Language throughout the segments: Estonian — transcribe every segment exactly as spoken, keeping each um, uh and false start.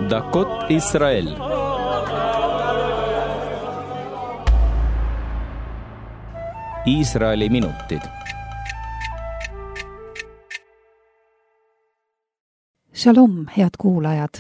דקות ישראל. Iisraeli minutid. Shalom, head kuulajad!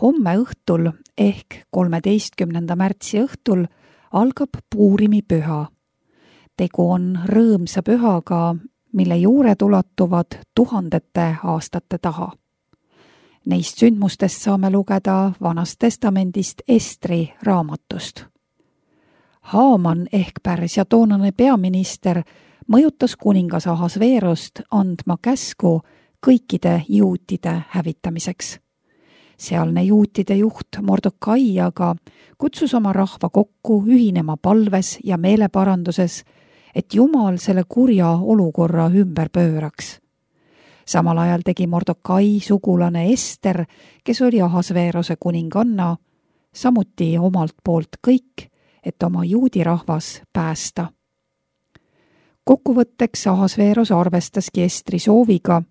Homme õhtul ehk kolmeteistkümnenda märtsi õhtul algab Puurimi püha. Tegu on rõõmsa pühaga, mille juured ulatuvad tuhandete aastate taha. Neist sündmustest saame lugeda Vanast testamendist Estri raamatust. Haaman ehk Pärsia toonane peaminister mõjutas kuningas Ahasveerost andma käsku kõikide juutide hävitamiseks. Sealne juutide juht Mordokai aga kutsus oma rahva kokku ühinema palves ja meeleparanduses, et Jumal selle kurja olukorra ümber pööraks. Samal ajal tegi Mordokai sugulane Ester, kes oli Ahasveerose kuninganna, samuti omalt poolt kõik, et oma juudi rahvas päästa. Kokkuvõtteks Ahasveeros arvestaski Estri sooviga,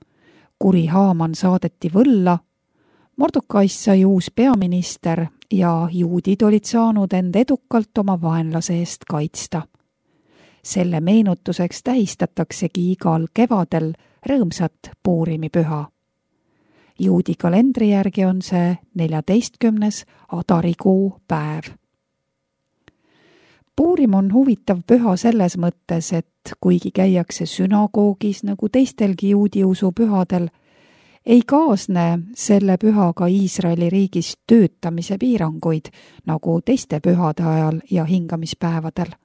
kuri Haaman saadeti võlla, Mordokaist sai uus peaminister ja juudid olid saanud end edukalt oma vaenlase eest kaitsta. Selle meenutuseks tähistataksegi igal kevadel rõõmsat Puurimi püha. Juudi kalendri järgi on see neljateistkümnes Adarikuu päev. Puurim on huvitav püha selles mõttes, et kuigi käiakse sünagoogis nagu teistelgi juudi usu pühadel, ei kaasne selle pühaga Iisraeli riigis töötamise piiranguid nagu teiste pühade ajal ja hingamispäevadel.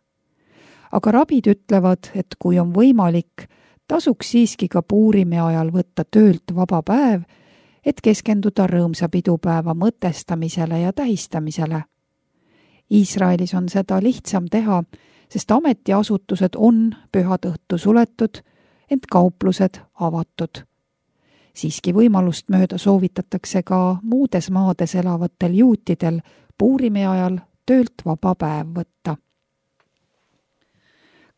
Aga rabid ütlevad, et kui on võimalik, tasuks siiski ka Puurimi ajal võtta töölt vaba päev, et keskenduda rõõmsa pidupäeva mõtestamisele ja tähistamisele. Iisraelis on seda lihtsam teha, sest ametiasutused on pühadõhtu suletud, ent kauplused avatud. Siiski võimalust mööda soovitatakse ka muudes maades elavatel juutidel Puurimi ajal töölt vaba päev võtta.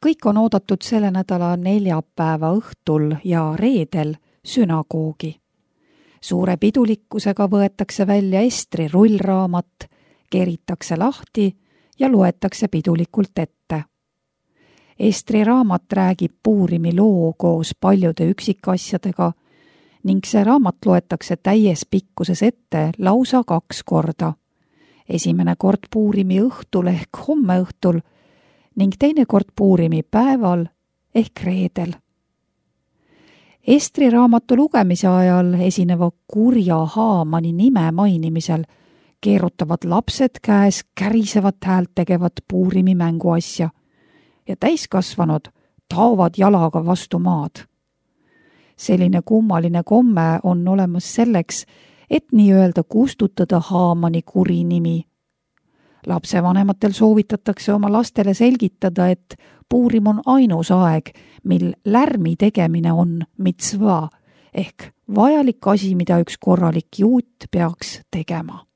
Kõik on oodatud selle nädala neljapäeva õhtul ja reedel sünagoogi. Suure pidulikkusega võetakse välja Estri rullraamat, keritakse lahti ja loetakse pidulikult ette. Estri raamat räägib Puurimi loo koos paljude üksikasjadega ning see raamat loetakse täies pikkuses ette lausa kaks korda. Esimene kord Puurimi õhtul ehk homme õhtul ning teine kord Puurimi päeval ehk reedel. Estri raamatu lugemise ajal esineva kurja Haamani nime mainimisel keerutavad lapsed käes kärisevat häält tegevat Puurimi mänguasja ja täiskasvanud taovad jalaga vastu maad. Selline kummaline komme on olemas selleks, et nii-öelda kustutada Haamani kuri nimi. Lapsevanematel soovitatakse oma lastele selgitada, et Puurim on ainus aeg, mil lärmi tegemine on mitsva ehk vajalik asi, mida üks korralik juut peaks tegema.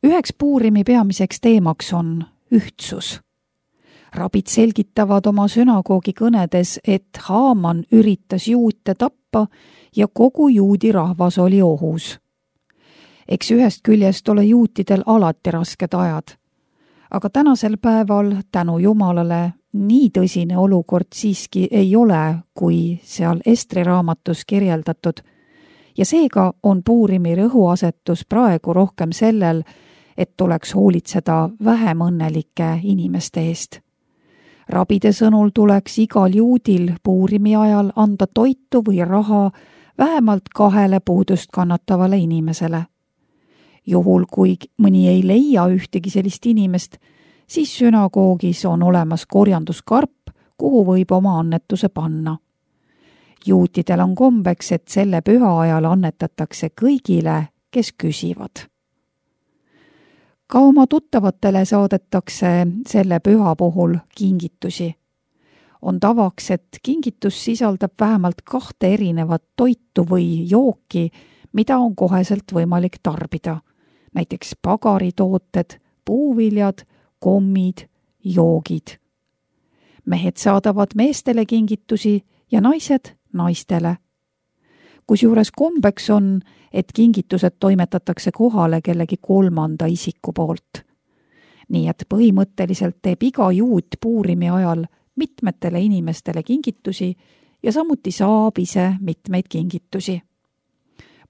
Üheks Puurimi peamiseks teemaks on ühtsus. Rabid selgitavad oma sünagoogi kõnedes, et Haaman üritas juute tappa ja kogu juudi rahvas oli ohus. Eks ühest küljest ole juutidel alati rasked ajad, aga tänasel päeval tänu Jumalale nii tõsine olukord siiski ei ole, kui seal Estri raamatus kirjeldatud, ja seega on Puurimi rõhuasetus praegu rohkem sellel, et tuleks hoolitseda vähem õnnelike inimeste eest. Rabide sõnul tuleks igal juudil Puurimi ajal anda toitu või raha vähemalt kahele puudust kannatavale inimesele. Juhul, kui mõni ei leia ühtegi sellist inimest, siis sünagoogis on olemas korjanduskarp, kuhu võib oma annetuse panna. Juutidel on kombeks, et selle püha ajal annetatakse kõigile, kes küsivad. Ka oma tuttavatele saadetakse selle püha puhul kingitusi. On tavaks, et kingitus sisaldab vähemalt kahte erinevat toitu või jooki, mida on koheselt võimalik tarbida. Näiteks pagaritooted, puuviljad, kommid, joogid. Mehed saadavad meestele kingitusi ja naised naistele. kusjuures kombeks on, et kingitused toimetatakse kohale kellegi kolmanda isiku poolt. Nii et põhimõtteliselt teeb iga juut Puurimi ajal mitmetele inimestele kingitusi ja samuti saab ise mitmeid kingitusi.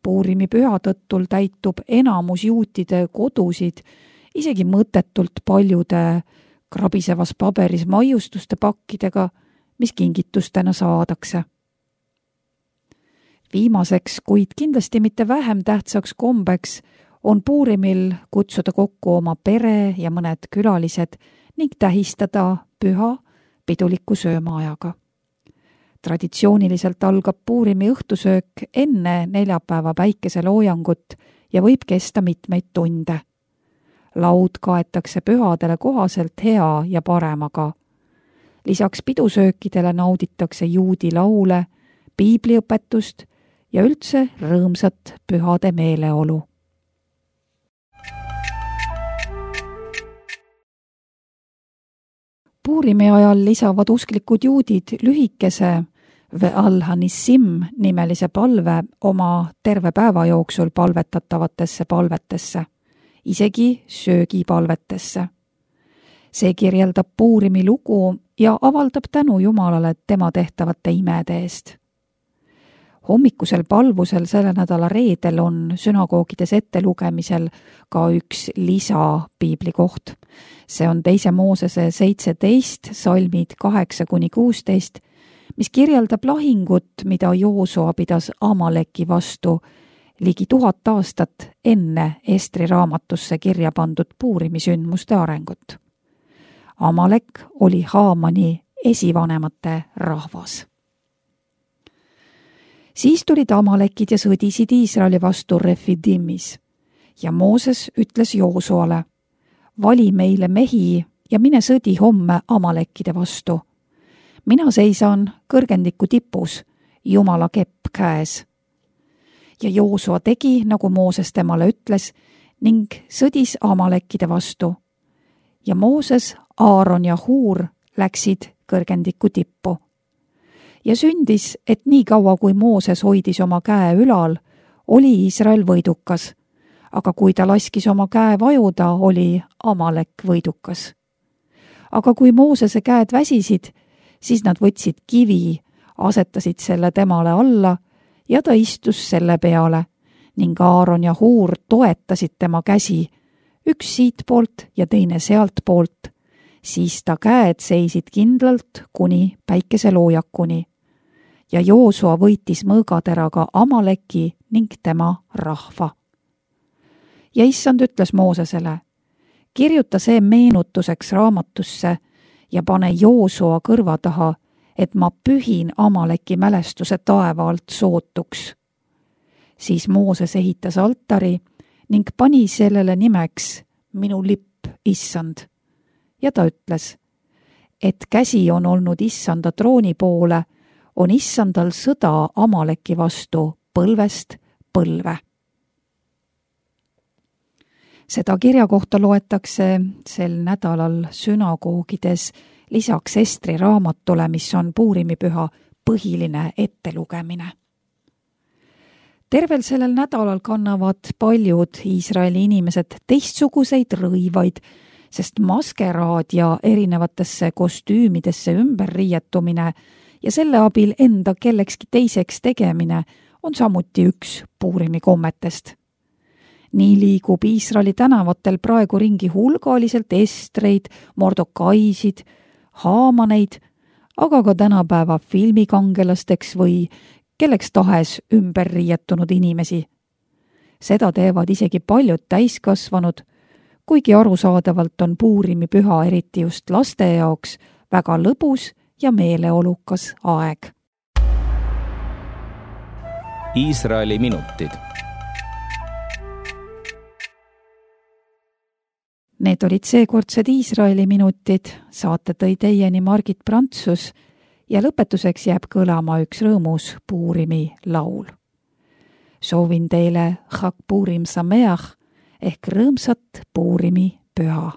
Puurimi püha tõttul täitub enamus juutide kodusid isegi mõttetult paljude krabisevas paberis maiustuste pakkidega, mis kingitustena saadakse. Viimaseks, kuid kindlasti mitte vähem tähtsaks kombeks, on Puurimil kutsuda kokku oma pere ja mõned külalised ning tähistada püha piduliku söömaajaga. Traditsiooniliselt algab Puurimi õhtusöök enne neljapäeva päikeseloojangut ja võib kesta mitmeid tunde. Laud kaetakse pühadele kohaselt hea ja paremaga. Lisaks pidusöökidele nauditakse juudi laule, piibliõpetust ja üldse rõõmsat pühade meeleolu. Puurimi ajal lisavad usklikud juudid lühikese Ve'al-Hanissim nimelise palve oma terve päeva jooksul palvetatavatesse palvetesse, isegi söögipalvetesse. See kirjeldab Puurimi lugu ja avaldab tänu Jumalale tema tehtavate imede eest. Hommikusel palvusel selle nädala reedel on sünagoogides ettelugemisel ka üks lisa piiblikoht. See on teise Moosese seitseteist, salmid kaheksa kuni kuusteist, mis kirjeldab lahingut, mida Joosua pidas Amaleki vastu ligi tuhat aastat enne Estri raamatusse kirja pandud Puurimi sündmuste arengut. Amalek oli Haamani esivanemate rahvas. Siis tulid Amalekid ja sõdisid Iisraeli vastu Refidimis ja Mooses ütles Joosuale: vali meile mehi ja mine sõdi homme Amalekide vastu. Mina seisan kõrgendiku tipus, Jumala kepp käes. Ja Joosua tegi, nagu Mooses temale ütles, ning sõdis Amalekide vastu. Ja Mooses, Aaron ja Huur läksid kõrgendiku tippu. Ja sündis, et nii kaua kui Mooses hoidis oma käe ülal, oli Iisrael võidukas, aga kui ta laskis oma käe vajuda, oli Amalek võidukas. Aga kui Moosese käed väsisid, siis nad võtsid kivi, asetasid selle temale alla ja ta istus selle peale ning Aaron ja Huur toetasid tema käsi, üks siit poolt ja teine sealt poolt, siis ta käed seisid kindlalt kuni päikeseloojakuni. Ja Joosua võitis mõõgateraga Amaleki ning tema rahva. Ja issand ütles Moosesele: kirjuta see meenutuseks raamatusse ja pane Joosua kõrva taha, et ma pühin Amaleki mälestuse taeva alt sootuks. Siis Mooses ehitas altari ning pani sellele nimeks minu lipp, issand. Ja ta ütles, et käsi on olnud issanda trooni poole, on issandal sõda Amaleki vastu põlvest põlve. Seda kirja kohta loetakse sel nädalal sünagoogides lisaks Estri raamatule, mis on Puurimipüha põhiline ettelugemine. Tervel sellel nädalal kannavad paljud Iisraeli inimesed teistsuguseid rõivaid, sest maskeraad ja erinevatesse kostüümidesse ümberriietumine ja selle abil enda kellekski teiseks tegemine on samuti üks Puurimi kommetest. Nii liigub Iisraeli tänavatel praegu ringi hulgaliselt estreid, mordokaisid, haamaneid, aga ka tänapäeva filmikangelasteks või kelleks tahes ümberriietunud inimesi. Seda teevad isegi paljud täiskasvanud, kuigi arusaadavalt on Puurimi püha eriti just laste jaoks väga lõbus ja meeleolukas aeg. Iisraeli minutid. Need olid seekordsed Iisraeli minutid, saate tõi teieni Margit Prantsus ja lõpetuseks jääb kõlama üks rõõmus Puurimi laul. Soovin teile Chag Puurim Sameach ehk rõõmsat Puurimi püha.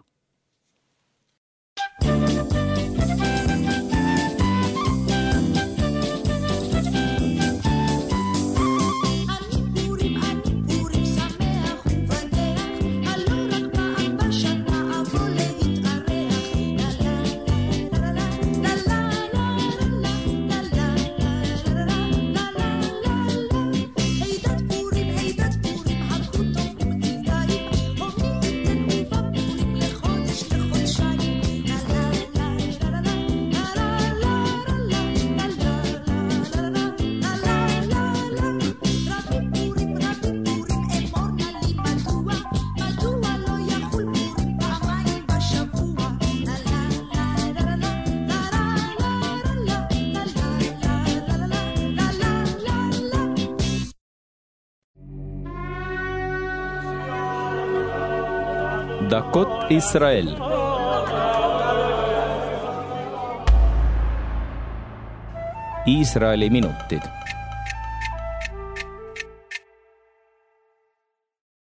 Dakot Israel. Iisraeli minutid